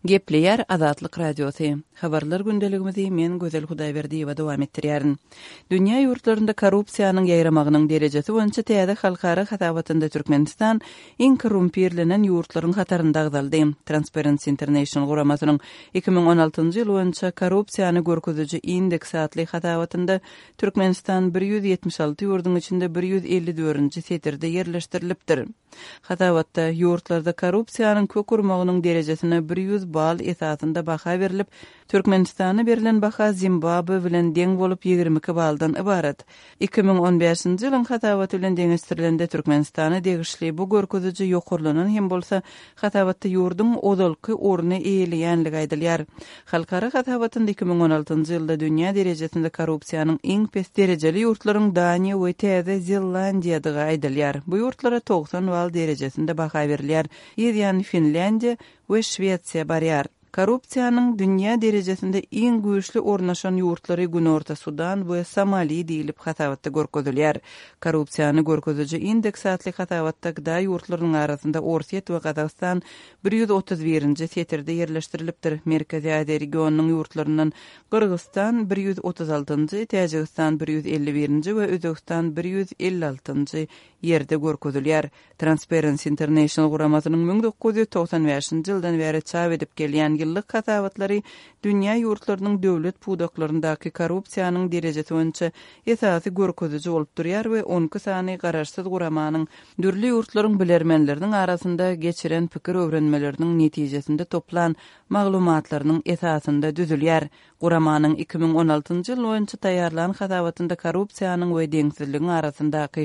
Gepleýär Azatlyk Radiosy. Habarlar gündeligimizi men Gözel Hudaýberdiýewa dowam etdirýärin. Dünýä ýurtlarynda korrupsiýanyň ýaýramagynyň derejesi boýunça täze halkara hasabatynda Türkmenistan iň korrumpirlenen ýurtlaryň hatarynda agzaldy. Transparency International guramasynyň 2016-njy ýyl boýunça korrupsiýany görkeziji indeks atly hasabatynda Türkmenistan 176 ýurduň içinde 154-nji setirde ýerleşdirilipdir. Hasabatda, ýurtlarda korrupsiýanyň kök urmagynyň derejesine 100 bal esasynda baha berlip, Türkmenistana berlen baha Zimbabwe bilen deň bolup 22 baldan ybarat. 2015-nji ýylyň hasabaty bilen deňeşdirilende Türkmenistana degişli bu görkeziji ýokarlanan hem bolsa, hasabatda ýurduň ozalky orny eýeleýänligi aýdylýar. Halkara hasabatynda 2016-njy ýylda dünýä derejesinde korrupsiýanyň iň pes derejeli ýurtlaryň Daniýa we Täze Zelandiýadygy aýdylýar. Bu ýurtlara 90 bal derejesinde baha berilýär. Yz ýany Finlýandiýa we Şwesiýa barýar. Korrupsiýanyň dünýä derejesinde iň güýçli ornaşan ýurtlary Günorta Sudan we Somali diýlip hasabatda görkezilýär. Korrupsiýany görkeziji indeks atly hasabatda gda ýurtlarynyň arasynda Orsýet we Gazagystan 131-nji setirde ýerleşdirilipdir. Merkezi Aziýa regionynyň ýurtlaryndan Gyrgyzystan 136-njy, Täjigistan 151-nji we Özbegistan 156-njy ýerde görkezilýär. Transparency International guramasynyň 1995-nji ýyldan bäri çap edip gelýän ýyllyk hasabatlary dünýä ýurtlarynyň döwlet pudaklaryndaky korrupsiýanyň derejesi boýunça esasy görkeziji bolup durýar we on iki sany garaşsyz guramanyň dürli ýurtlaryň bilermenleriniň arasynda geçiren pikir öwrenmeleriniň netijesinde toplan maglumatlarynyň esasynda düzülýär. Guramanyň 2016-njy ýyl boýunça taýýarlan hasabatynda korrupsiýanyň we deňsizligiň arasyndaky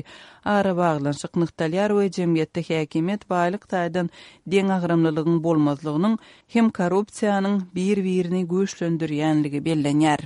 arabaglanyşyk nygtalýar we jemgyýetde häkimiýet baýlyk taýdan deňagramlylygyň bolmazlygynyň hem korrupsiýanyň bir-birini güýçlendirýänligi bellenýär.